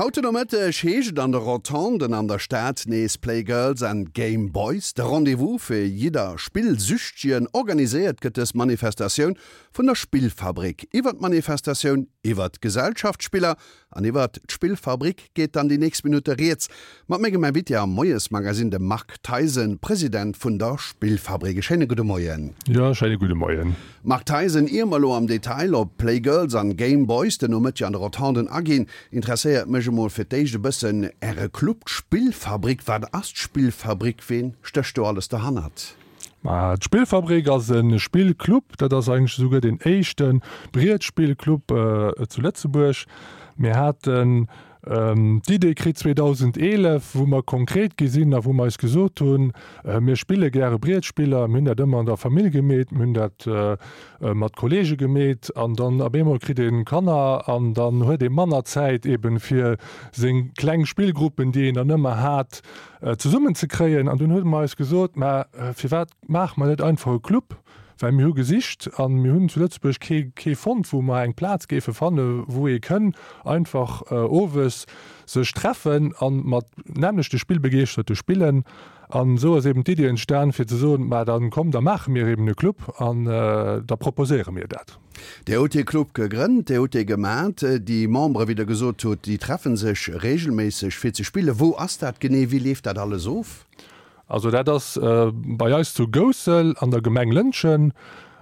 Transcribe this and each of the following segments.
Haut de Nomëtteg heescht et an de Rotonden an der Stad nees Play Girls and Game Boys. De Rendez-vous fir jidder Spillsüchtegen. Organiséiert gëtt dës Manifestatioun vun der Spillfabrik. Iwwer d'Manifestatioun, iwwer d'Gesellschaftsspiller An iwwert d'Spillfabrik geet dann déi nächst Minutte rieds mat mengem Invité am Moiesmagazine, dem Marc Theisen, President vun der Spillfabrik. E schéine gudde Moien. Jo, schéine gudde Moien. Marc Theisen, ier mer elo am Detail op Playgirls an Gameboys den Nomëtteg an de Rotonden aginn, interesséiert mech emol fir d'éischt e bëssen Äre Club, d'Spillfabrik. Wat ass d'Spillfabrik? Ween stécht do alles derhannert? Ma d'Spillfabrik ass e Spillclub, dat ass eigentlech esouguer deen éischte Brietspillclub zu Lëtzebuerg. Mir haten d'Idee kritt 2011, wou mer konkret gi sinn a wou mer eis gesot hunn, mir spille gäre Brietspiller, mir hunn dat ëmmer an der Famill gemeet, mir hunn dat mat Kollege gemeet an dann op eemol kritt ee Kanner an dann huet ee manner Zäit eeben fir seng kleng Spillgruppen, déi een dann ëmmer hat, zesummen ze kréien. An dunn huet mer eis gesot, mä firwat maache mer net einfach e Club? Well mir hu gesicht a mir hunn zu Lëtzebuerg kee kee fonnt, wou mer eng Plaz géife fanne wou ee kënn einfach owes sech treffen a mat nämmlechte Spillbegeeschterte spillen. An esou ass eben d'Iddi entstan fir ze soen, mä da komm, da maache mir eben e Club an da proposéiere mir dat. Dir hutt dee Club gegrënnt, Dir hutt dee gemat. Déi Membere, wéi Der gesot hutt, déi treffe sech reegelméisseg fir ze spillen. Wou ass dat genee? Wéi leeft dat alles of? Also dat ass bei eis zu Goussel an der Gemeng Lëntgen.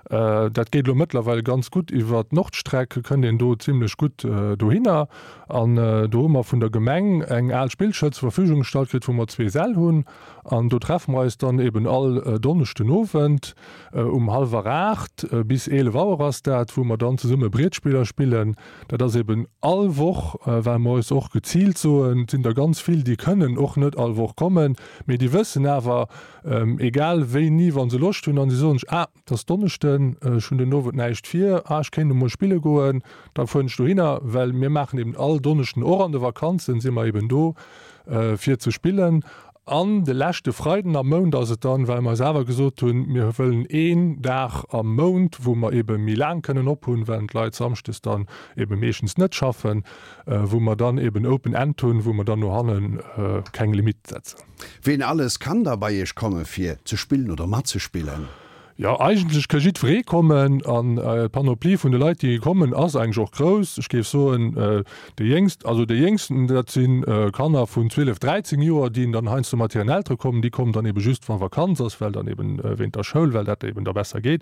Dat geet elo mëttlerweil ganz gutt iwwer d'Nordstreck, kënnt een do zimlech gutt dohinner. An do hu mer vun der Gemeng eng al Spillschoul zur Verfügung gestallt kritt, wou mer zwee Säll hunn. An do treffe mer eis dann eben all Donneschden Owend um hallwer 8 bis 11 Auer ass dat, wou mer dann zesumme Brietspiller spillen. Dat ass eben all Woch, well mer eis och geziilt soen, et sinn der ganz vill, déi kënnen och net all Woch kommen, mee déi wëssen awer, egal wéini, wa se Loscht hunn an se soen sech, ah, Et ass Donneschden, ech hunn den Owend näischt vir, ah ech kéint emol spille goen, da fueren ech dohinner, well mir maachen eben all Donneschden, och an de Vakanzen si mer eben do fir ze spillen. An de leschte Freiden am Mount ass et dann, well mer eis awer gesot hunn, mir wëllen een Dag am Mount, wou mer ebe méi laang kënnen ophunn, well d'Leit samschdes dann ebe meeschtens net schaffen, wou mer dann eben Open End hunn, wou mer dann no hanne keng Limitt setzen. Ween alles kann da bei iech komme fir ze spillen oder matzespillen? Jo, eigentlech ka jiddweree kommen an d'Panoplie vun de Leit, déi kommen, ass eigentlech och grouss. Ech géif soen, déi Jéngst, also déi Jéngsten, dat si Kanner vun 12, 13 Joer, déi dann heiansdo mat hiren Eltere kommen. Déi kommen dann ebe just, wa Vakanz ass, well dann eben wéint der Schoul, well dat eben da besser geet.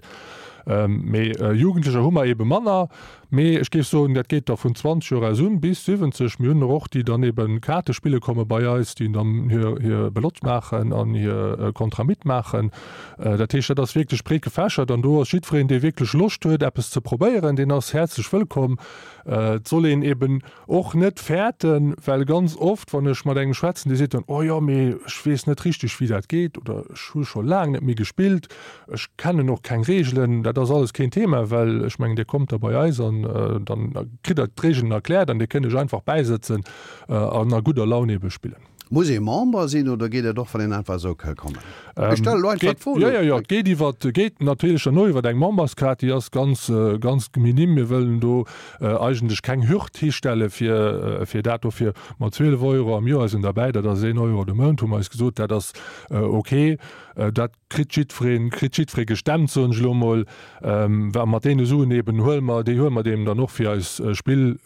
Mee Jugendlecher hu mer ebe manner. Mee ech géif soen, dat geet da vun 20 Joer aus un bis 70. Mir hunn der och, déi dann eben Kaarte spille komme bei eis, déi dann hir, hir Belotte maachen an hir Contramit maachen. Dat heescht, dat ass wierklech breet gefächert an do ass jiddwereen, dee wierklech Loscht huet, eppes ze probéieren, deen ass häerzlech wëllkomm. Et soll een eben och net fäerten, well ganz oft, wann ech mat engem schwätzen, dee seet dann, Oh jo, mee ech weess net richteg, wéi dat geet oder ech hu scho laang net méi gespillt. Ech kennen och keng Reegelen, dat ass alles keen Thema, well ech mengen, Dir kommt da bei eis an dann kritt Der d'Reegelen erkläert an Dir kënnt Iech einfach bäisëtzen an a gudder Laun ebe spillen. Muss ee Member sinn oder geet et och, wann een einfach esou ka kommen? Ech stelle elo einfach d'Fro. Jo, jo, jo, et geet iwwer, geet natierlech herno iwwer eng Memberskaart, déi ass ganz, ganz minim. Mir wëllen do eigentlech keng Hürd histelle fir, fir dat. Dofir mat 12 Euro am Joer sinn derbäi, dat ass een Euro de Mount, hu mer eis gesot, dat ass ok. Dat kritt jiddwereen, kritt jiddweree gestemmt, soen ech elo emol. Wa mat deene Suen eben huele mer, déi huele mer deem dann och fir eis Spill,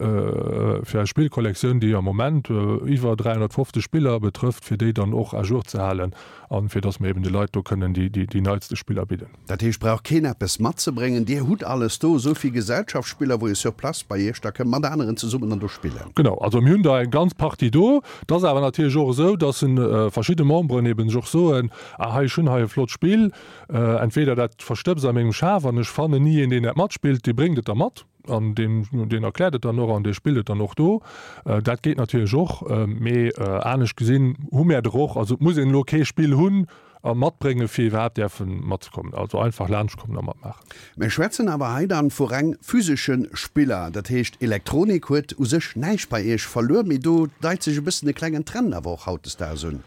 fir eis Spillkollektioun, déi am Moment iwwer 350 Spiller betrëfft, fir déi dann och à jour ze halen a fir datt mer eben de Leit do kënnen déi, déi neitste Spiller bidden. Dat heescht, brauch keen eppes matzebréngen, Dir hutt alles do, esou vill Gesellschaftsspiller, wou ee sur place bei Iech da kënn mat aneren zesummen dann do spillen. Genau, also mir hunn der eng ganz Partie do. Et ass awer natierlech och esou, datt verschidde Memberen eben sech och soen, Ah hei, ech hunn hei e flott Spill, entweder dat verstëbst a mengem Schaf an ech fannen ni een deen dat matspillt, dee bréngt et da mat an deen deen erkläert et dann och an dee spillt et dann och do. Dat geet natierlech och, mee anescht gesinn hu mär der och, also et muss een elo kee Spill hunn a matbrénge fir iwwerhaapt däerfe matzekommen, also einfach laanscht kommen a matmaachen. Mir schwätzen awer hei dann vu reng physesche Spiller, dat heescht Elektronik huet u sech näischt bei Iech verluer, mee do deit sech e bëssen e klengen Trend awer och hautdesdaags un.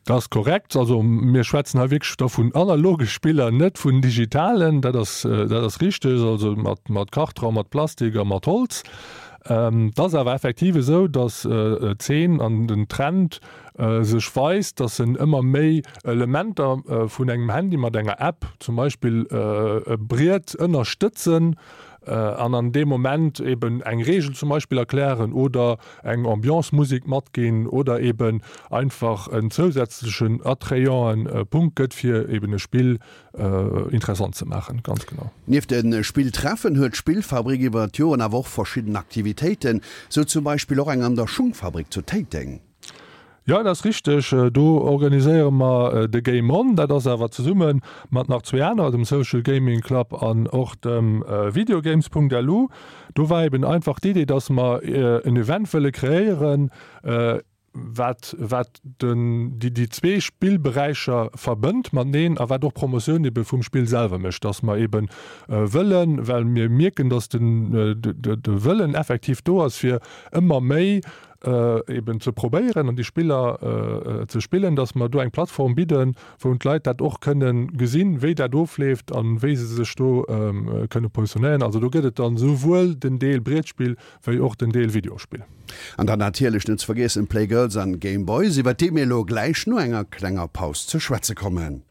Dat ass korrekt. Also mir schwätzen hei wierklech da vun analoge Spiller, net vun digitalen. Dat ass, dat ass richteg. Also mat, mat Kartron, mat Plastik a mat Holz. Et ass awer effektiv esou, datt d'Zeen an den Trend sech weist, datt en ëmmer méi Elementer vun engem Handy mat enger App zum Beispill e Briet ënnerstëtzen an an deem Moment eben eng Reegel zum Beispill erklären oder eng Ambiance-Musek matginn oder eben einfach en zousätzlechen attrayante Punkt gëtt, fir eben e Spill interessant ze maachen. Ganz genau. Nieft de Spilltreffen huet d'Spillfabrik iwwer d'Joren awer och verschidden Aktivitéiten, sou zum Beispill och eng an der Schungfabrik zu Téiteng. Jo, dat ass richteg. Do organiséiere mer de Game On. Dat ass awer zesumme mat nach zwee anerer, dem Social Gaming Club an och dem Videogames.lu. Do war eben einfach d'Idee, dass mer en Event wëlle kreéieren, wat wat den déi déi zwee Spillberäicher verbënnt mateneen a wat och Promotioun ebe vum Spill selwer mécht, dass mer ebe wëllen, well mir mierken, dass den de Wëllen effektiv do ass, fir ëmmer méi eben ze probéieren an déi Spiller ze spillen, dass mer do eng Plattform bidden, wou d'Leit dat och kënnen gesinn, wéi dat ofleeft a wéi se sech do kënne positionéieren. Also do gëtt et dann esouwuel den Deel Brietspill wéi och den Deel Videospill. An dann natierlech net ze vergiessen Playgirls an Gameboys, iwwert déi mir elo gläich no enger klenger Paus ze schwätze kommen.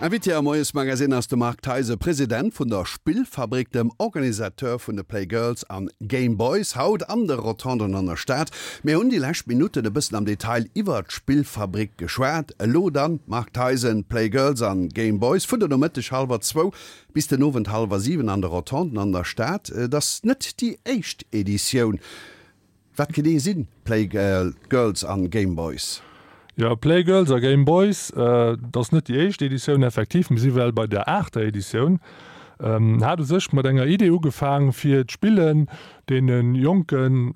Invité am Moiesmagazine ass de Marc Theisen, President vun der Spillfabrik, dem Organisateur vun de Playgirls an Gameboys, haut an de Rotonden an der Stad. Mir hunn déi lescht Minutten e bëssen am Detail iwwer d'Spillfabrik geschwat. Elo dann, Marc Theisen, Playgirls an Gameboys vun de Nomëtteg hallwer zwou bis den Owend hallwer 7 an de Rotonden an der Stad. Et ass net déi éischt Editioun. Wat genee si Playgirls an Gameboys? Jo, Playgirls a Gameboys, dat ass net déi éischt Editioun, effektiv, mir si well bei der aachter Editioun. Hat u sech mat enger Idee ugefaang, fir d'Spillen deene Jonken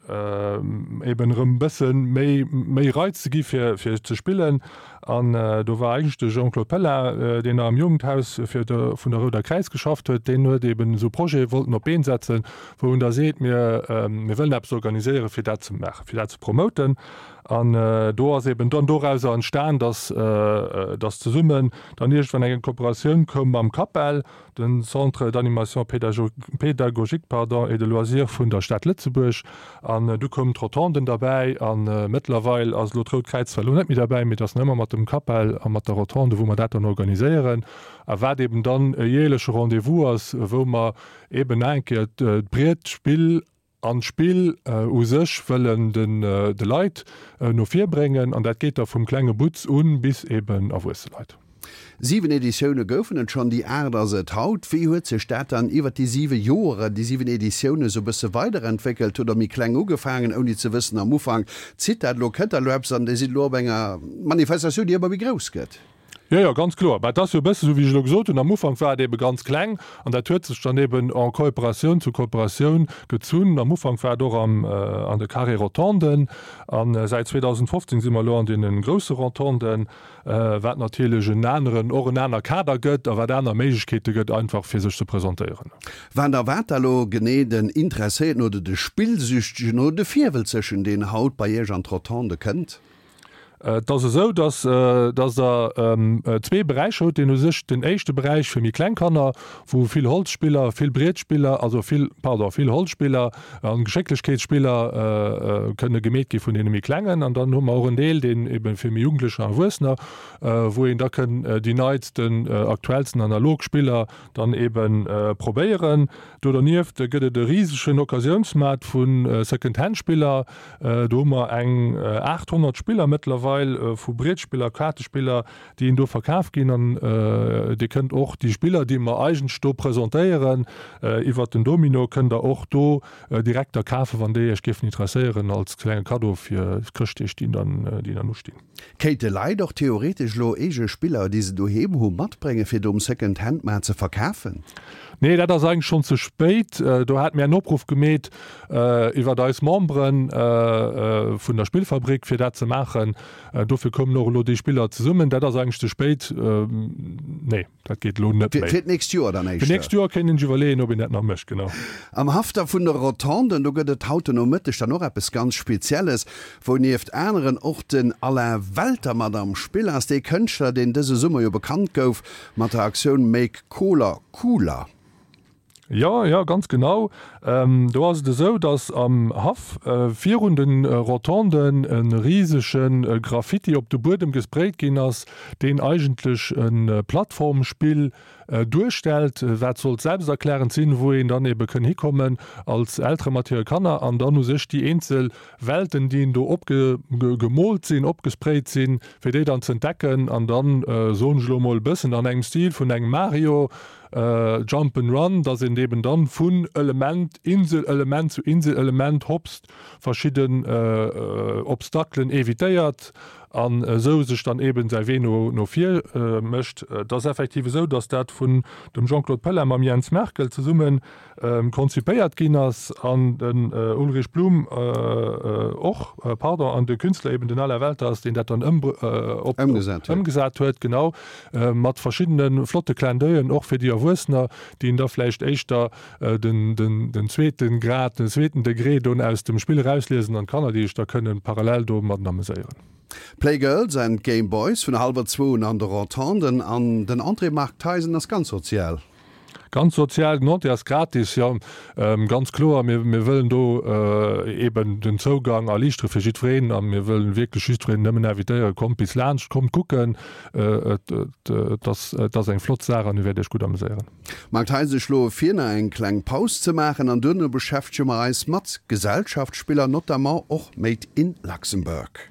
eben erëm e bësse méi méi Reiz ze gi fir fir ze spillen. An do war eigentlech de Jean-Claude Pella, deen nach am Jugendhaus fir de vun der Rouder Kräiz geschafft huet, deen huet eben esou Projete wollten op d'Been setzen, wou en da seet, mir, mir wëllen eppes organiséieren, fir dat ze maachen, fir dat ze promoten. An do ass eben dann dorauser entstan, dass, dass zesummen dann iergendwann eng Kooperatioun koum mam CAPEL, den Centre d'animation pédagogique, pardon, et de loisirs vun der Stad Lëtzebuerg. An du koumen d'Rotonden derbäi a mëttlerweil ass elo d'Rout Kräiz zwar elo net méi derbäi, mee et ass nach ëmmer mat dem CAPEL a mat der Rotonde, wou mer dat dann organiséieren a wat eben dann e jäerleche Rendez-vous ass, wou mer eben nach eng Kéier d'Brietspill an d'Spill u sech wëllen de Leit no vir bréngen. An dat geet da vum klenge Butz un bis eben erwuesse Leit. 7 Editioune goufen et schonn, déi aacht ass et haut. Wéi huet sech dat dann iwwer déi siwe Joeren, déi 7 Editioune sou bësse weiderentwéckelt? Hutt Der méi kleng ugefaangen, ouni ze wëssen am Ufank, zitt dat elo, kënnt dat elo eppes an Dir sidd elo op enger Manifestatioun, déi ëmmer méi grouss gëtt? Jo, jo, ganz kloer. Mä et ass jo e bësse sou, wéi ech elo gesot hunn, am Ufank war et eebe ganz kleng an dat huet sech dann eeben en Coopératioun zu Coopératioun gezunn. Am Ufank war et och am, an de Carré-Rotonden a säit 2015 si mer elo an deene grousse Rotonden, wat natierlech en aneren, och en aner Kader gëtt a wat aner Méiglechkeete gëtt einfach fir sech ze presentéieren. Wat erwaart da lo genee den Interesséierten oder de Spillsüchtegen oder de Virwëlzegen, deen haut bei Iech an d'Rotonde kënnt? Et ass esou, dass dass Der zwee Beräicher hutt. Deen u sech den éischte Beräich fir méi kleng Kanner, wou vill Holzspiller, vill Brietspiller, also vill, pardon, vill Holzspiller a Geschécklechkeetsspiller kënne gemeet gi vun deene méi Klengen. An dann hu mer och en Deel, deen ebe fir méi Jugendlecher an Erwuessener, wou een da kënn déi neitsten, aktuellsten analog Spiller dann ebe probéieren. Do dernieft gëtt et e risegen Occasiounsmaart vu Second-Hand-Spiller. Do hu mer eng 800 Spiller mëttlerweil, vu Brietspiller, Kaartespiller, déi een do verkaf ginn. An Dir kënnt och déi Spiller, déi mer eigentlech do presentéieren, iwwert den Domino, kënnt Der och do direkt da kafen, wann déi Iech géifen interesséieren, als klenge Kaddo fir d'Chrëschtdeeg, déi dann ustinn. Kéinte Leit och theoretesch elo eege Spiller, déi se doheem hu, matbréngen, fir do um Second-Hand-Maart ze verkafen? Nee, dat ass eigentlech schonn ze spéit. Do hate mir en Opruff gemeet iwwert eis Membere vun der Spillfabrik, fir dat ze maachen. Dofir koumen och elo déi Spiller zesummen. Dat ass eigentlech ze spéit. Nee. Dat geet elo net méi. Fir d'nächst Joer dann éischter? Fir d'nächst Joer kéint een sech iwwerleeën, ob een dat nach mécht, genau. Am Haff da vun de Rotonden, do gëtt et haut den Nomëtteg dann och eppes ganz Spezielles, wou nieft aneren och den Alain Welter mat am Spill ass, dee Kënschtler, deen dëse Summer jo bekannt gouf mat der Aktioun Make Koler Cooler. Jo, jo, ganz genau. Do ass et esou, datt am Haff virun de Rotonden e risege Graffiti op de Buedem gesprayt ginn ass, deen eigentlech e Plattformspill duerstellt, wat sollt selbsterklärend sinn, wou een dann ebe kënn hikommen als Eltere mat hire Kanner an dann u sech déi eenzel Welten, déi do opgemoolt sinn, opgesprayt sinn, fir déi dann z'entdecken an dann, soen ech elo emol, e bëssen an engem Stil vun engem Mario, Jump and Run, dass een eben dann vun Element, Insel-Element zu Insel-Element hopst, verschidden Obstaclen evitéiert an esou sech dann eben säi Wee no no vir mécht. Et ass effektiv esou, dass dat vun dem Jean-Claude Pella mam Jens Merkel zesummen konzipéiert ginn ass an den Ulrich Blum och, pardon, an de Künstler eben den Alain Welter ass, deen dat dann ëmgesat huet, genau, mat verschiddene flotte Clin d'oeil'en och fir déi Erwuessener, déi een da vläicht éischter den, den, den zweeten Grad, den zweeten Degré don aus dem Spill erausliesen an d'Kanner, déi sech da kënnen parallel domadden ameséieren. Playgirls and Gameboys vun hallwer zwou un an de Rotonden an den Entrée Marc Theisen ass ganz sozial. Ganz sozial, den Entrée ass gratis, jo, ganz kloer. Mir, mir wëllen do eeben den Zougang erliichtere fir jiddwereen a mir wëllen wierklech jiddwereen nëmmen invitéieren, Kommt bis laanscht, kommt kucken. Et, et ass, et ass eng flott Saach an Dir wäert Iech gutt ameséieren. Marc Theis, Ech schloe vir, nach eng kleng Paus ze maachen an duerno beschäftege mer eis mat Gesellschaftsspiller, notamment och Made in Luxembourg.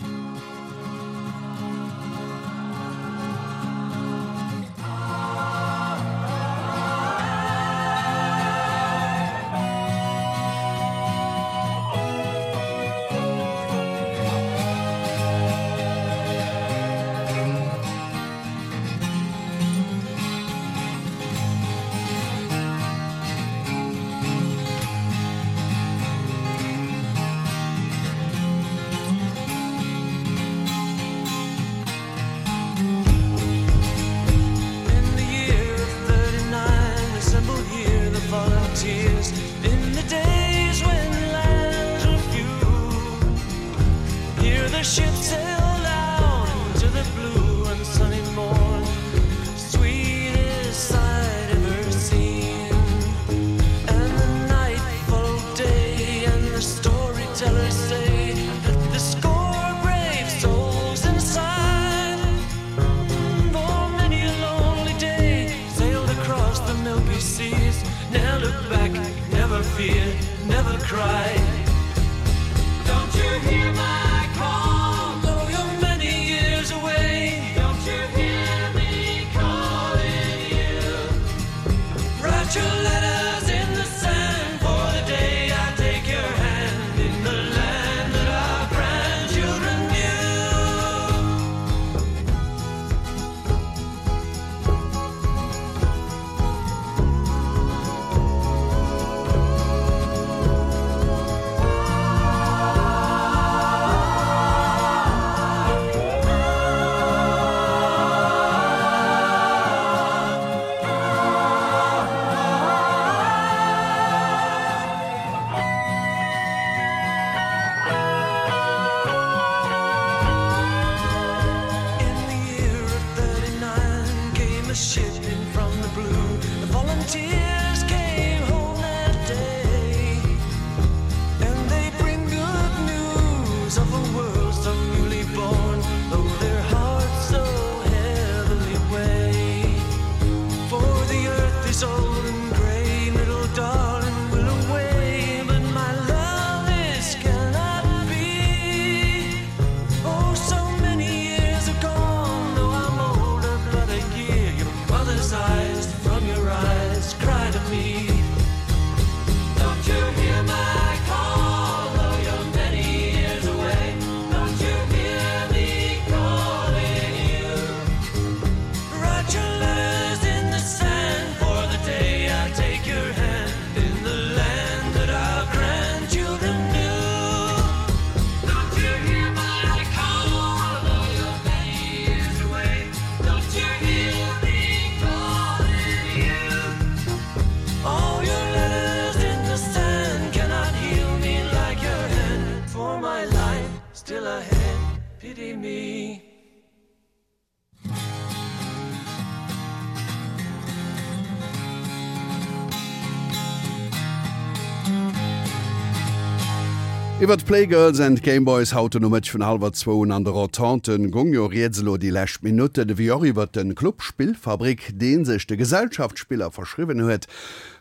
Iwwer d'Playgirls and Gameboys haut den Nomëtteg vun hallwer zwou un an de Rotonden gong jo rieds elo déi lescht Minutten, ewéi och iwwer de Club Spillfabrik, dee sech de Gesellschaftsspiller verschriwwen huet,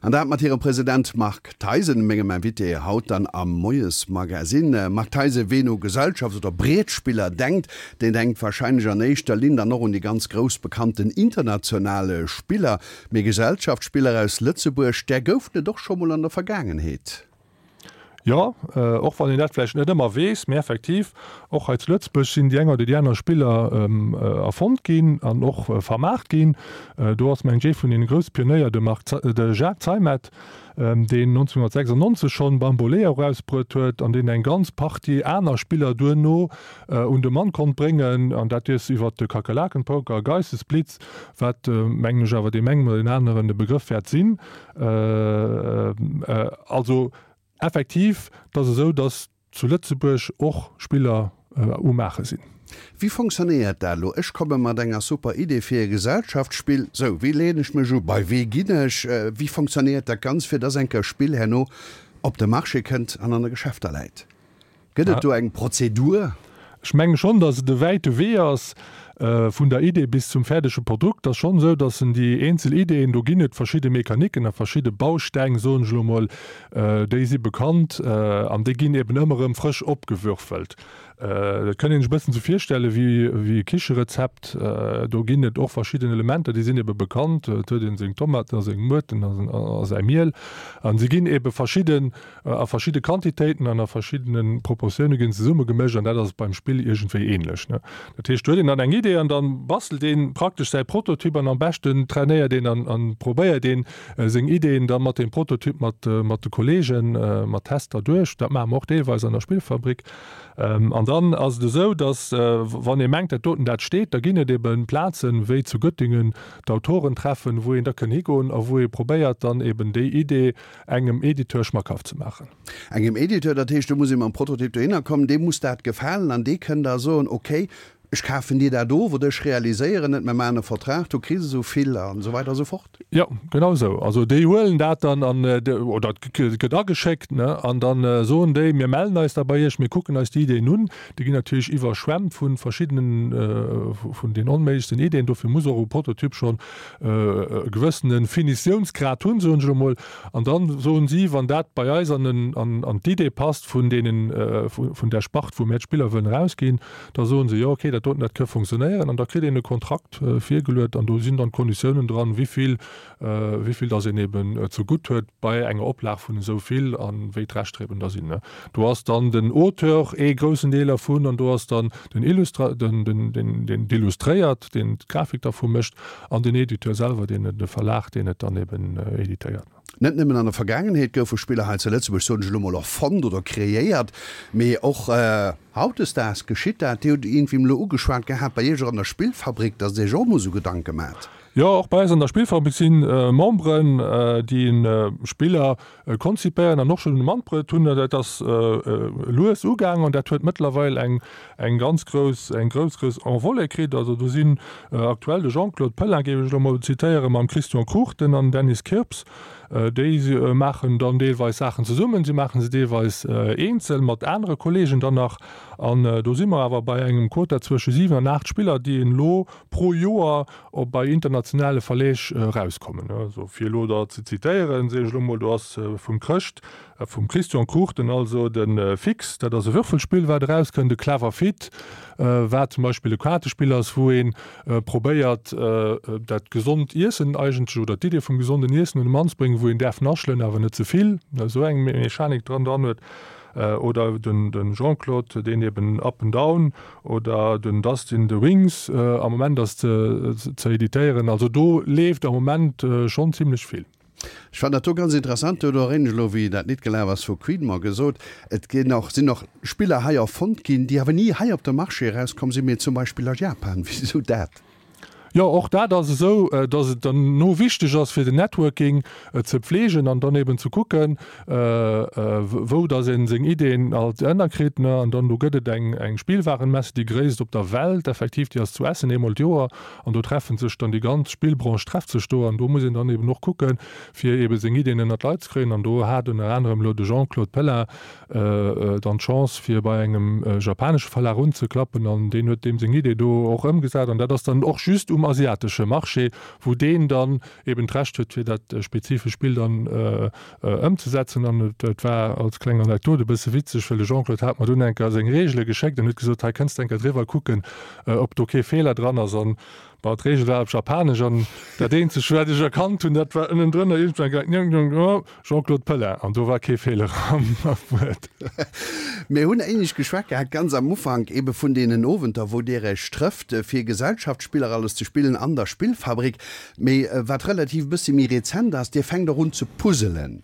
an dat mat hirem President Marc Theisen, mengem Invité haut dann am Moiesmagazin. Marc Theisen, ween u Gesellschafts oder Brietspiller denkt, deen denkt warscheinlech an éischter Linn dann och un déi ganz grouss bekannten international Spiller. Mee Gesellschaftsspiller aus Lëtzebuerg, där goufen et och scho mol an der Vergaangenheet. Jo, och wann een dat vläicht net ëmmer weess, mee effektiv, och hei zu Lëtzebuerg sinn déi eng oder déi aner Spiller erfonnt ginn an och vermaart ginn. Do ass, mengen ech, ee vun deene grousse Pionéier de Marc, de Jacques Zeimet, deen 1996 schonn Bambolea erausbruet huet an deen eng ganz Partie aner Spiller duerno un de Mann konnt bréngen, an dat dierst iwwert de Kakerlakenpoker, Geistesblitz, wat, mengen ech, awer deem engem oder deem aneren e Begrëff wäert sinn. Also effektiv, et ass esou, datt zu Lëtzebuerg och Spiller um Maache sinn. Wéi fonctionnéiert dat elo? Ech komme mat enger super Idee fir e Gesellschaftsspill. Sou, wéi leeën ech mech u? Bei wee ginn ech? Wéi fonctionnéiert dat Ganzt, fir dass enker e Spill herno op de Marché kënnt an an de Geschäfter läit? Gëtt et do eng Prozedur? Ech menge schonn, dass et e wäite Wee ass vun der Idee bis zum fäerdege Produkt. Et ass schonn esou, dass en déi eenzel Ideeën, do ginn et verschidde Mechaniken a verschidde Bausteng, soen ech elo emol, déi si bekannt an déi ginn eben ëmmer erëm frësch opgewürfelt. Dat kënnt een sech e bëssen esou virstelle wéi e Kicherezept. Do ginn et och verschidden Elementer, déi sinn ebe bekannt. Et huet een seng Tomaten a seng Muerten a säi Miel a se ginn ebe verschidden a verschidde Quantitéiten an a verschiddene Proportioune ginn zesumme gemëscht an dat ass beim Spill iergendwéi ähnlech. Dat heescht, do huet een dann eng Idee an dann bastelt een praktesch säi Prototyp an am beschten trainéiert een an an probéiert een seng Ideeën da mat deem Prototyp mat mat de Kollegen mat Tester duerch. Dat maache mer och deelweis an der Spillfabrik. An dann ass et esou, datt wann ee mengt, dat doten dat steet, da ginn et eben Plazen, wéi zu Göttingen d'Autorentreffen, wou een da kënn higoen a wou ee probéiert dann eben déi Idee engem Editeur schmackhaft ze maachen. Engem Editeur, dat heescht, do muss ee mam Prototyp dohinner kommen, deem muss dat gefalen an dee kënn da soen, okay, ech kafen dir dat of oder ech realiséieren et, mir maachen e Vertrag, du kriss esou vill an esou weider a sou fort. Jo, genau esou. Also déi huelen dat dann an, oder et gëtt ageschéckt, ne, an da soen déi, mir mellen eis da bei iech, mir kucken eis déi Ideeën un. Déi ginn natierlech iwwerschwemmt vu verschiddenen, vun den onméiglechsten Ideeën. Dofir muss och e Prototyp schonn e gewëssene Finitiounsgrad hunn, soen ech elo mol. An da soen si, wann dat bei eis an an d'Idee passt vun deenen, vun där Spart, wou mir d'Spiller wëllen erausginn, da soen se, jo okay, dat doten, dat ka funktionéieren. An da kritt een e Kontrakt virgeluet an do sinn dann d'Konditiounen dran, wéi vill, wéi vill dass een eben zegutt huet bei enger Oplag vun esou vill a wéi d'Rechter eben da sinn. Do ass dann den Auteur ee groussen Deel dervun an do ass dann den Illustra-, den, den, den, deen d'illustréiert, deen d'Grafik dervu mécht an den Editeur selwer, deen et, de Verlag, deen et dann eben editéiert. Net nëmmen an der Vergaangenheet goufe Spiller hei zu Lëtzebuerg, soen ech elo mol, erfonnt oder kreéiert, mee och hautdesdaags geschitt dat. Dir hutt iergendwéi elo ugeschwat gehat, bei Iech och an der Spillfabrik, datt Der Iech och emol esou Gedanke maacht. Jo, och bei eis an der Spillfabrik si Memberen, déi Spiller konzipéieren an och schonn um Mandbrëtt hunn. Dat ass lues ugaangen an dat huet mëttlerweil eng eng ganz grouss, eng grouss, grouss Envolée kritt. Also do sinn aktuell de Jean-Claude Pellin, géif ech elo mol zitéieren, mam Christian Cruchten an Dennis Kirps. Déi maachen dann deelweis Saachen zesummen, si maache se deelweis eenzel mat anere Kolleegen dann nach. An do si mer awer bei engem Quota zwësche 7 an 8 Spiller, déi een elo pro Joer op bei internationale Verleeg erauskommen. Also fir elo der ze zitéieren, soen ech elo mol, do ass vum Chrëscht, vum Christian Cruchten also de Fix, dat ass e Würfelspill wat erauskënnt, de Clever Fit, wat zum Beispill e Kaartespill ass, wou ee probéiert dat gesond Iessen eigentlech oder d'Idee vum gesonden Iessen un de Mann ze bréngen, wou een däerf naschelen, awer net ze vill, esou eng Mechanik dran dran huet. Oder den Jean-Claude, deen eben Up and Down oder den Dustin The Wings am Moment ass ze editéieren. Also do leeft am Moment schonn zimlech vill. Ech fannen dat do ganz interessant. Do huet och een elo, wéi dat Lidd gelaf ass vu Queen, mer gesot, et ginn och, sinn och Spiller hei erfonnt ginn, déi awer ni hei op de Marché erauskomm sinn, mee zum Beispill a Japan. Wisou dat? Jo, och dat ass esou, dass et dann no wichteg ass, fir den Networking ze pflegen an dann eben ze kucken, wou dass ee seng Ideeën alt ënnerkritt. An dann do gëtt et eng eng Spielwarenmesse, déi gréisst op der Welt effektiv, déi ass zu Essen eemol d'Joer an do treffe sech dann déi ganz Spillbranche trefft sech do an do muss een dann eben och kucken, fir eben seng Ideeën ënnert d'Leit ze kréien. An do hat ënner anerem elo de Jean-Claude Pellin dann d'Chance fir bei engem japanesche Verlag unzeklappen an deen huet deem seng Idee do och ëmgesat an dat ass dann och just um asiatesche Marché, wou deen dann eben d'Recht huet fir dat spezifescht Spill dann ëmzesetzen. An et war als kleng Anekdot e bësse witzeg, well de Jean-Claude hat mer dunn eng Kéier seng Reegele geschéckt an huet gesot, hei kënns de eng Kéier driwwer kucken, ob do kee Feeler dran ass an Bon, d'Reegel war op Japanesch an dat eenzegt, wat ech erkannt hunn, dat war ënnendrënner iergendwann eng Jean-Claude Pellin an do war kee Feeler am Wuert. Mir hunn éinescht geschwat gehat, ganz am Ufank ebe vun deenen Owenter, wou Dir Iech trëfft, fir Gesellschaftsspiller alles ze spillen an der Spillfabrik. Mee wat relativ e bëssi méi rezent ass, Dir fänkt och un ze puzzelen.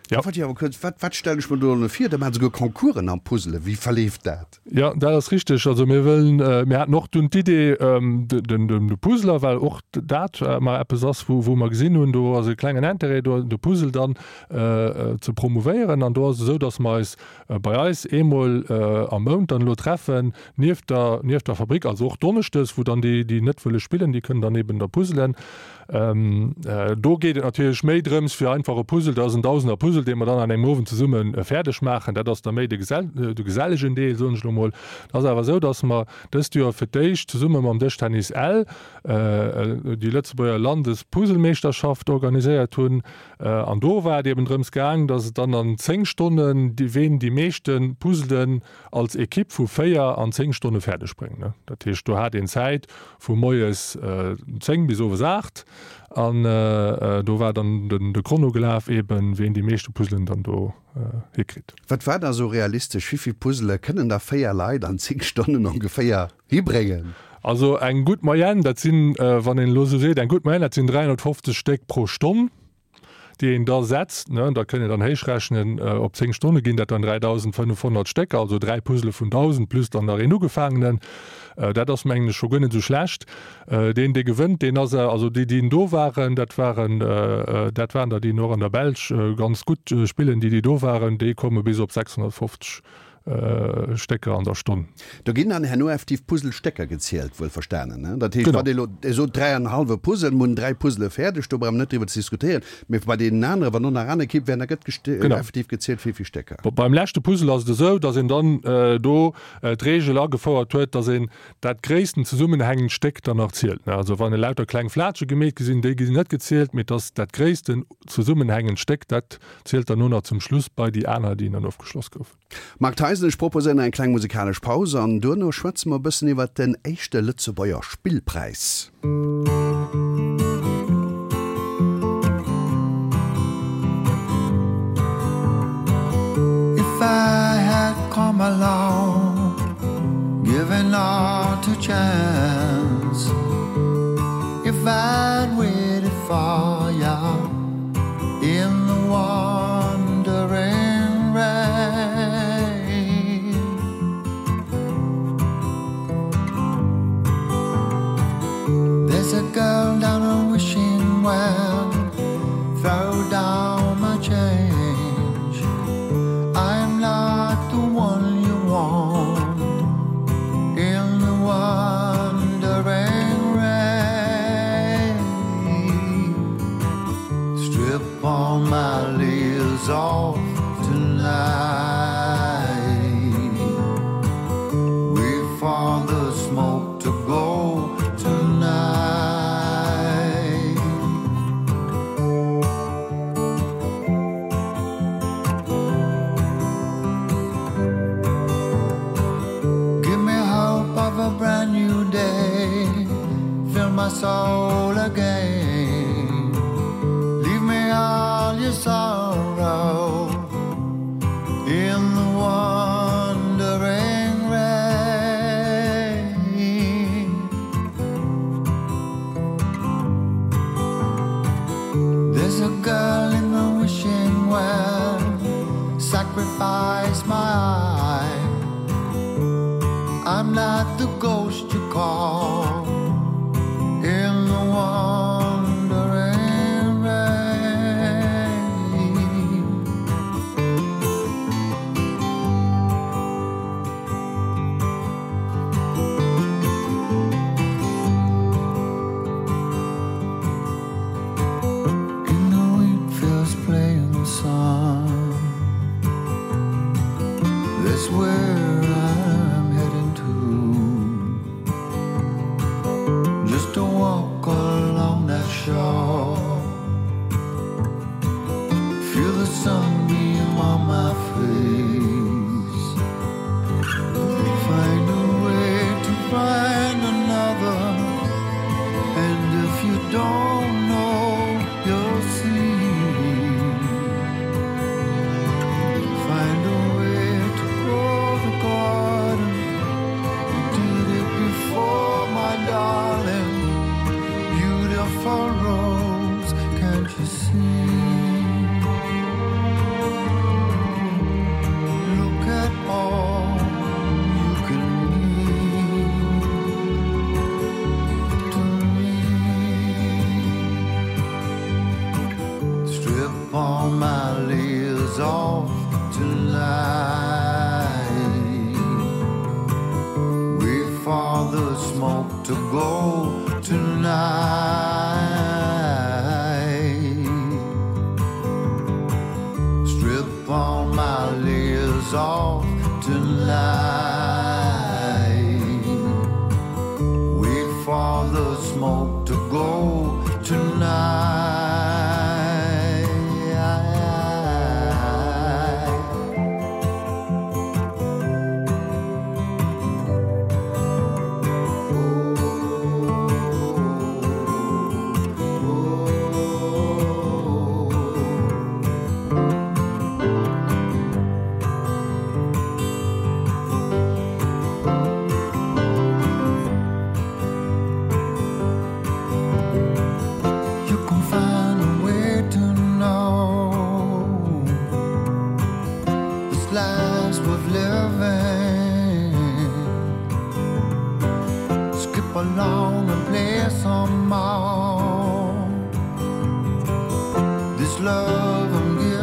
Ja. Wat, awer kuerz, wat, wat stellen ech mer do elo vir? Da maachen se souguer Concoursen am Puzzelen. Wéi verleeft dat? Jo, dat ass richteg. Also mir wëllen, mir haten och dunn d'Idee, den, den, de Puzzler, well och dat mar eppes ass, wou, wou mer gesinn hunn, do ass e klengen Intérêt do, de Puzzle dann ze promouvéieren. An do ass et esou, datt mer eis bei eis eemol am Mount dann elo treffen, nieft der, nieft der Fabrik, also och donneschdes, wou dann déi, déi net wëlle spillen, déi kënnen dann eben da puzzelen. Do geet et natierlech méi drëms, fir einfach e Puzzle, dat ass en Dausender Puzzle, dee mer dann an engem Owend zesumme fäerdeg maachen. Dat ass da méi de gesellegen Deel, soen ech elo mol. Et ass awer esou, datt mer dëst Joer fir d'éischt zesumme mam Dëschtennis Ell déi Lëtzebuerger Landespuzzlemeeschterschaft organiséiert hunn. An do war et eben drëms gaang, datt et dann an 10 Stonnen, ween déi meeschte Puzzlen als Ekipp vu 4 an 10 Stonne fäerdeg bréngen. Dat heescht, do hat een Zäit vu moies 10 bis owes 8 an do war dann de Chrono gelaf, eben ween déi meeschte Puzzelen dann do hikritt. Wat war da sou realistesch? Wéi vill Puzzele kënnen da 4 Leit an 10 Stonnen ongeféier hibréngen? Also eng gutt Moyenne, dat sinn, wann een elo sou seet, eng gutt Moyenne, dat sinn 350 Stéck pro Stonn. déi een da setzt, ne, da kënnt een dann héichrechnen, op 10 Stonne ginn dat dann 3.500 Stécker, also dräi Puzzle vun 1.000 plus dann nach een ugefaangenen. Dat ass, mengen ech, scho guer net esou schlecht. Deen, dee gewënnt, deen ass, also déi, déi do waren, dat waren, dat waren der, déi och an der Belsch ganz gutt spillen, déi, déi do waren, déi komme bis op 650 Stécker an der Stonn. Do ginn dann herno effektiv Puzzlestécker gezielt, wuel verstanen, ne? Dat heescht, wann ee elo, Dir sot 3 an e hallwe Puzzle, mir hunn 3 Puzzle fäerdeg, do brauche mer net driwwer ze diskutéieren, mee bei deenen aneren, wann do nach aner Ekipp wären, da gëtt effektiv gezielt, wéi vill Stécker. Beim leschte Puzzle ass et esou, datt een dann do d'Reegel agefouert huet, datt een dat gréissten zesummenhängend Stéck dann nach zielt. Also wann elauter kleng Flatsche gemeet gi sinn, déi ginn net gezielt, mee et ass dat gréissten zesummenhängend Stéck, dat zielt dann no nach zum Schluss bei déi aner, déi dann ofgeschloss goufen. Marc Theisen, Ech proposéieren eng kleng musikalesch Paus an duerno schwätze mer e bëssen iwwert den éischte Lëtzebuerger Spillpräis. If I had come along, given all to chance If I'd waited for ya in the wandering rain There's a girl down a wishing well Throw down my change I'm not the one you want In the wandering rain Strip all my leaves off tonight Wait for the smoke to go tonight Give me hope of a brand new day Fill my soul again Leave me all your sorrow In the wandering rain There's a girl in the wishing well Sacrifice my eye I'm not the ghost you call In the wandering rain In the wheat fields playing the sun That's where I'm heading to Just to walk along that shore Feel the sunbeam on my face Find a way to find another And if you don't know, you'll see Find a way to grow the garden You did it before, my darling Beautiful rose, can't you see? all my layers off tonight. Wait for the smoke to go tonight. Strip all my layers off tonight. Wait for the smoke to go tonight. You can find a way to know this life's worth living. Skip along and play some more. This love I'm giving.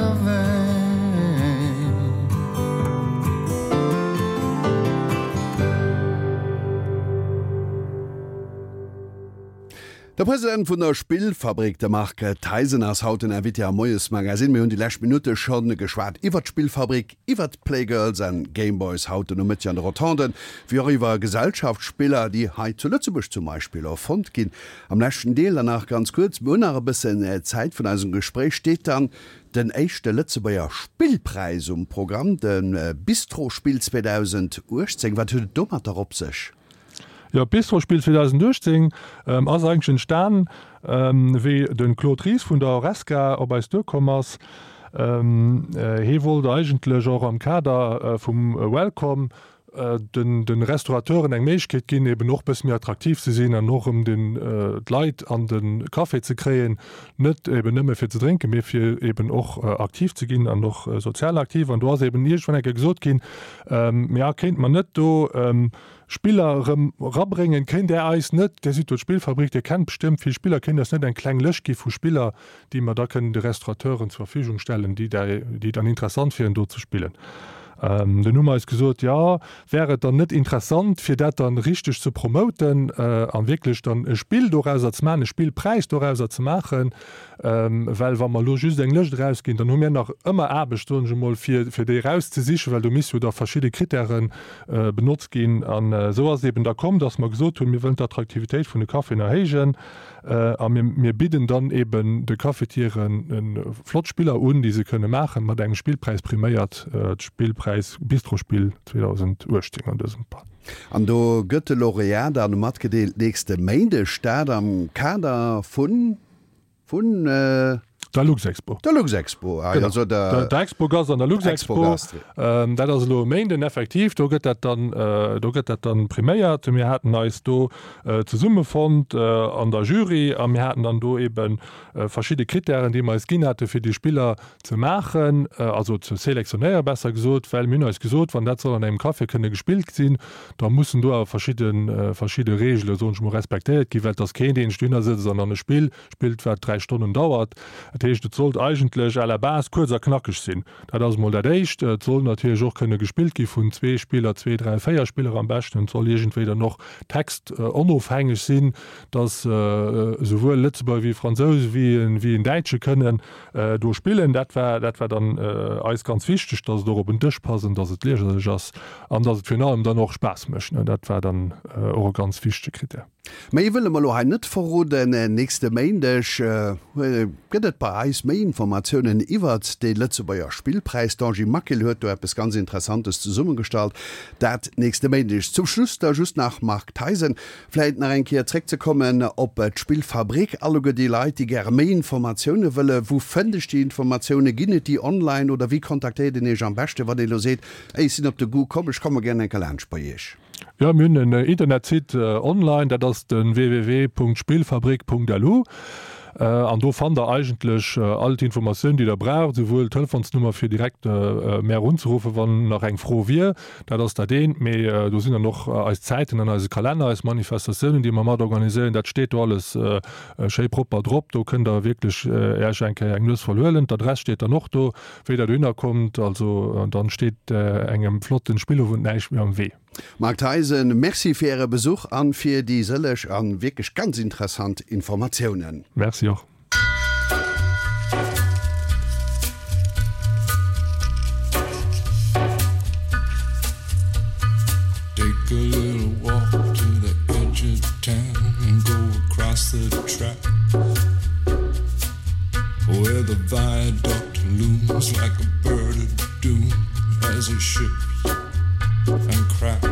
De President vun der Spillfabrik, de Marc Theisen, ass haut den Invité am Moiesmagazine. Mir hunn déi lescht Minutte scho geschwat iwwert d'Spillfabrik, iwwert d'Playgirls and Gameboys haut den Nomëtteg an de Rotonden, wéi och iwwer Gesellschaftsspiller, déi hei zu Lëtzebuerg zum Beispill erfonnt ginn. Am leschten Deel dann nach ganz kuerz, mir hunn nach e bëssen Zäit vun eisem Gespréich, steet dann den éischte Lëtzebuerger Spillpräis um Programm, de Bistrospill 2018. Wat huet et domatter op sech? Jo, d'Bistrospill 2018 ass eigentlech entstan, wéi de Claude Ries vun der Horesca op eis duerkomm ass. Hee wollt eigentlech och am Kader vum Welcome de Restaurateuren eng Méiglechkeet ginn, eben och bësse méi attraktiv ze sinn an och erëm d'Leit an de Café ze kréien, net eben nëmme fir ze drénken, mee fir eben och aktiv ze ginn an och sozial aktiv. An do ass eben iergendwann eng Kéier gesot ginn, Mä kéinte mer net do Spiller erëm erabréngen? Kéint Där eis net, Dir sidd jo d'Spillfabrik, Dir kennt bestëmmt vill Spiller, kéint eis net eng kleng Lëscht gi vu Spiller, déi mer da kënnen de Restaurateuren zur Verfügung stellen, déi déi dann interessant wieren, do ze spillen? Dunn hu mer eis gesot, jo, wär et dann net interessant, fir dat dann richteg ze promoten a wierklech dann e Spill dorauser ze maachen, e Spillpräis dorauser ze maachen, Well wa mer elo just eng Lëscht erausginn, dann hu mir nach ëmmer Aarbecht, soen ech emol, fir déi erauszesichen, well do misst jo da verschidde Krittäre benotzt ginn. An esou ass et eben da komm, dass mer gesot hunn, mir wëllen d'Attraktivitéit vun de Caféen erhéijen a mir bidden dann eben de Cafetieren flott Spiller un, déi se kënne maachen, mat engem Spillpräis priméiert, d'Spillpräis Bistrospill 2018 an dësem Fall. An do gëtt de Laureat dann matgedeelt nächste Méindeg, dat am Kader vun Vun der Luxexpo. Der Luxexpo, ah, also der, der Expogast an der Luxexpo. Ähm, dat ass elo e Méinden effektiv, do gëtt dat dann, äh, do gëtt dat dann priméiert. Mir haten eis do äh, zesummefonnt äh, an der Jury a mir haten dann do eben äh, verschidde Krittären, déi mer eis ginn hate fir déi Spiller ze maachen, also ze selektionéieren, besser gesot, well mir hunn eis gesot, wann dat soll an engem Café kënne gespillt sinn, da mussen do awer verschidde verschidde Regele, soen ech mol, respektéiert ginn, well et ass keen, deen sech dohinner sëtzt an an e Spill spillt, wat 3 Stonnen dauert. Dat heescht, et sollt eigentlech à la base kuerz a knackeg sinn. Dat ass emol dat Éischt. Et soll natierlech och kënne gespillt gi vun zwee Spiller, zwee, dräi, véier Spiller am beschten. Et soll iergendwéi dann och textonofhängeg sinn, dass esouwuel Lëtzebuerger wéi Fransous wéi en Däitsche kënnen Do spillen, dat war, dat war dann eis ganz wichteg, dass et och op en Dësch passt an dass et lieserlech ass an dass et virun allem dann och Spaass mécht. Dat war dann och e ganz wichtege Krittär. Méi wëlle mer elo hei net verroden. Nächste Méindeg gëtt et bei eis méi Informatiounen iwwert de Lëtzebuerger Spillpräis. D'Angie Maquil huet do eppes ganz Interessantes zesummegestallt. Dat nächste Méindeg. Zum Schluss da just nach, Marc Theisen, Vläit nach eng Kéier zréckzekommen op d'Spillfabrik. Alleguer déi Leit, déi gäre méi Informatioune wëlle, wou fënnt ech déi Informatioune? Ginn et déi online oder wéi kontaktéiert een Iech am beschte, wann ee elo seet, Ey, ech sinn op de Goût komm, ech komme gären eng Kéier laanscht bei Iech? Jo, mir hunn en Internetsite online, dat ass de www.spillfabrik.lu. An do fannt der eigentlech all d'Informatioun, déi der braucht, esouwuel d'Telefonsnummer fir direkt mär unzeruffen, wann nach eng Fro wier, dat ass dat eent, mee do sinn dann och eis Zäiten an eise Kalenner, eis Manifestatiounen, déi mer mat organiséieren, dat steet do alles schéi propper drop. Do kënnt der wierklech Äech eng Kéier eng Nues voll huelen. D'Adress steet dann och do, wéi der dohinner kommt. Also dann steet engem flotten Spillowend näischt méi am Wee. Marc Theisen, Merci fir Äre Besuch an fir déi sëlleg an wierklech ganz interessant Informatiounen. Merci och. Take a little walk to the edge of town and go across the track Where the viaduct looms like a bird of doom as it ships and cracks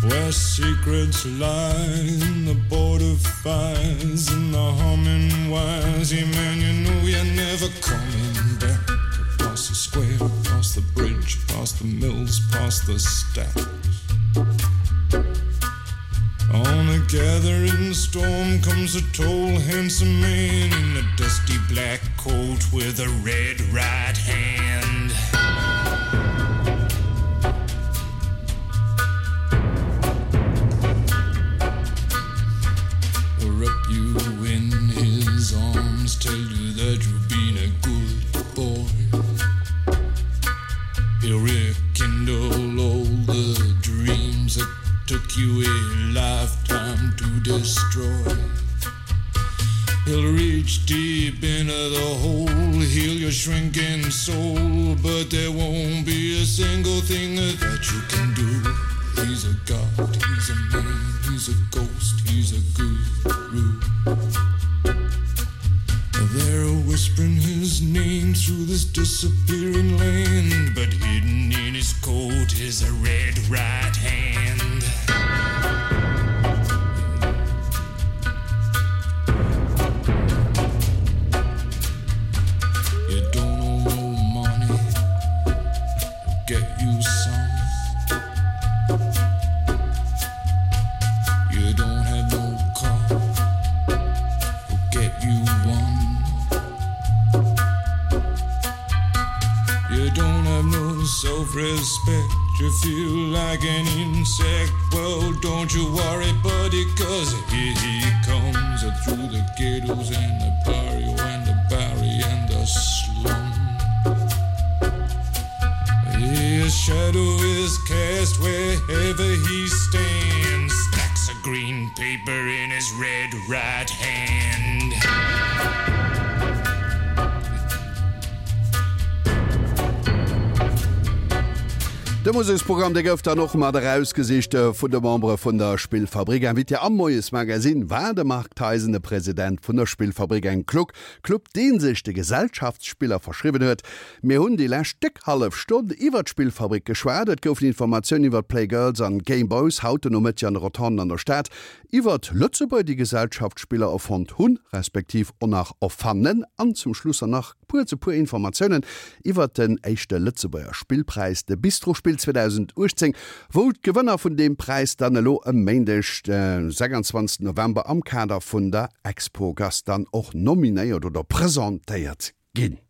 Where secrets lie in the border fires and the humming wires Yeah man you know you're never coming back Across the square, across the bridge, past the mills, past the stacks On a gathering storm comes a tall handsome man in a dusty black coat with a red right hand. He'll wrap you in his arms, tell you that you've been a good boy. He'll rekindle all the dreams that took you a lifetime to destroy. He'll reach deep into the hole, heal your shrinking soul, but there won't be a single thing that you can do. He's a god, he's a man, he's a ghost, he's a guru. They're whispering his name through this disappearing land, but hidden in his coat is a red right hand. You don't owe no money, he'll get you some. You don't have no car, he'll get you one. You don't have no self-respect, you feel like an insect. Well, don't you worry, buddy, cause here he comes through the ghettos and the barrio and the barry and the slum. His shadow is cast wherever he stands, stacks of green paper in his red right hand. De Museksprogramm dee gouf dann och mat erausgesicht vun de Membere vun der Spillfabrik. Invité am Moiesmagazine war de Marc Theisen, de President vun der Spillfabrik, engem Club, dee sech de Gesellschaftsspiller verschriwwen huet. Mir hunn déi lescht déck hallef Stonn iwwer d'Spillfabrik geschwat. Et goufen Informatiounen iwwer d'Playgirls an Gameboys haut den Nomëtteg an de Rotonden an der Stad, iwwer Lëtzebuerger, déi Gesellschaftsspiller erfonnt hunn, respektiv och nach erfannen an zum Schluss dann nach kuerz e puer Informatiounen iwwert den éischte Lëtzebuerger Spillpräis, de Bistrospill 2018, wou d'Gewënner vun deem Präis dann elo e Méindeg, de 26 November am Kader vun der Expogast dann och nominéiert oder presentéiert ginn.